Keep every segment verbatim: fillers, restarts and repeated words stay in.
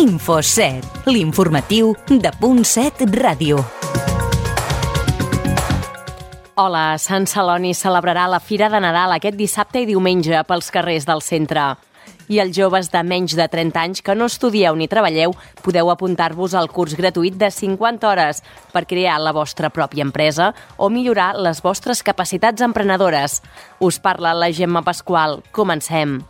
Infoset, l'informatiu de Punt set Ràdio. Hola, Sant Celoni celebrarà la Fira de Nadal aquest dissabte i diumenge pels carrers del centre. I els joves de menys de trenta anys que no estudieu ni treballeu podeu apuntar-vos al curs gratuït de cinquanta hores per crear la vostra pròpia empresa o millorar les vostres capacitats emprenedores. Us parla la Gemma Pasqual. Comencem.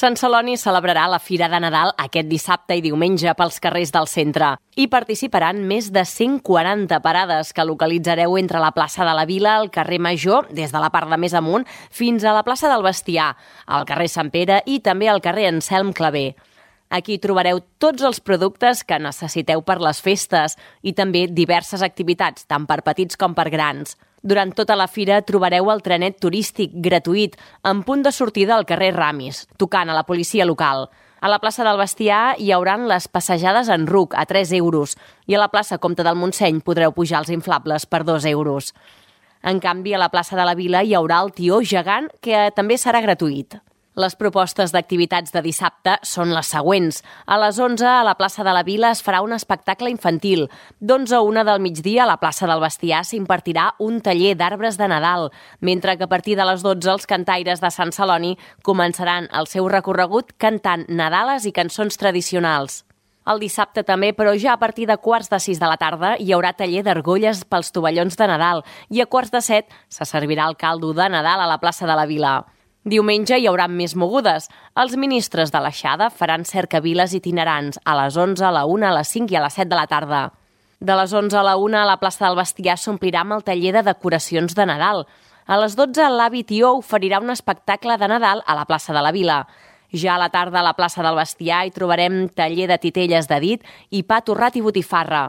Sant Celoni celebrarà la Fira de Nadal aquest dissabte i diumenge pels carrers del centre. Hi participaran més de cent quaranta parades que localitzareu entre la plaça de la Vila, el carrer Major, des de la part de més amunt, fins a la plaça del Bestiar, al carrer Sant Pere i també al carrer Anselm Clavé. Aquí trobareu tots els productes que necessiteu per les festes i també diverses activitats, tant per petits com per grans. Durant tota la fira trobareu el trenet turístic gratuït en punt de sortida al carrer Ramis, tocant a la policia local. A la plaça del Bestiar hi hauran les passejades en ruc a tres euros i a la plaça Comte del Montseny podreu pujar els inflables per dos euros. En canvi, a la plaça de la Vila hi haurà el tió gegant, que també serà gratuït. Les propostes d'activitats de dissabte són les següents. A les onze, a la plaça de la Vila es farà un espectacle infantil. D'onze a una del migdia, a la plaça del Bestiar s'impartirà un taller d'arbres de Nadal, mentre que a partir de les dotze els cantaires de Sant Celoni començaran el seu recorregut cantant nadales i cançons tradicionals. El dissabte també, però ja a partir de quarts de sis de la tarda, hi haurà taller d'argolles pels tovallons de Nadal i a quarts de set se servirà el caldo de Nadal a la plaça de la Vila. Diumenge hi haurà més mogudes. Els ministres de l'Aixada faran cercaviles itinerants a les onze, a la una, a les cinc i a les set de la tarda. De les onze a la una, a la plaça del Bestiar s'omplirà amb el taller de decoracions de Nadal. A les dotze, l'avi Tió oferirà un espectacle de Nadal a la plaça de la Vila. Ja a la tarda, a la plaça del Bestiar, hi trobarem taller de titelles de dit i pa torrat i botifarra.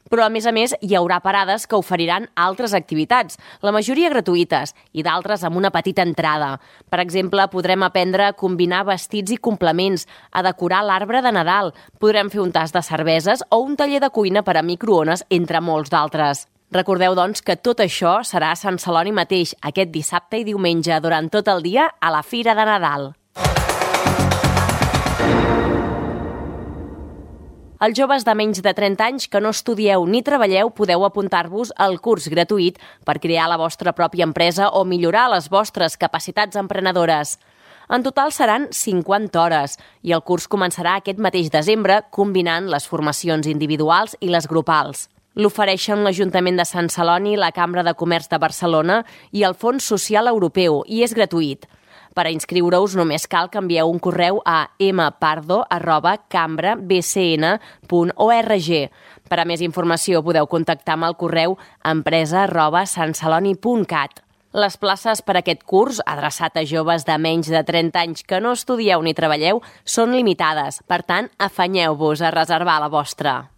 Però, a més a més, hi haurà parades que oferiran altres activitats, la majoria gratuïtes i d'altres amb una petita entrada. Per exemple, podrem aprendre a combinar vestits i complements, a decorar l'arbre de Nadal, podrem fer un tast de cerveses o un taller de cuina per a microones, entre molts d'altres. Recordeu, doncs, que tot això serà a Sant Celoni mateix, aquest dissabte i diumenge, durant tot el dia, a la Fira de Nadal. Els joves de menys de trenta anys que no estudieu ni treballeu podeu apuntar-vos al curs gratuït per crear la vostra pròpia empresa o millorar les vostres capacitats emprenedores. En total seran cinquanta hores i el curs començarà aquest mateix desembre combinant les formacions individuals i les grupals. L'ofereixen l'Ajuntament de Sant Celoni, la Cambra de Comerç de Barcelona i el Fons Social Europeu i és gratuït. Per a inscriure-us només cal que envieu un correu a mpardo arroba cambra b c n punt org. Per a més informació podeu contactar amb el correu empresa arroba santceloni punt cat. Les places per a aquest curs, adreçat a joves de menys de trenta anys que no estudieu ni treballeu, són limitades. Per tant, afanyeu-vos a reservar la vostra.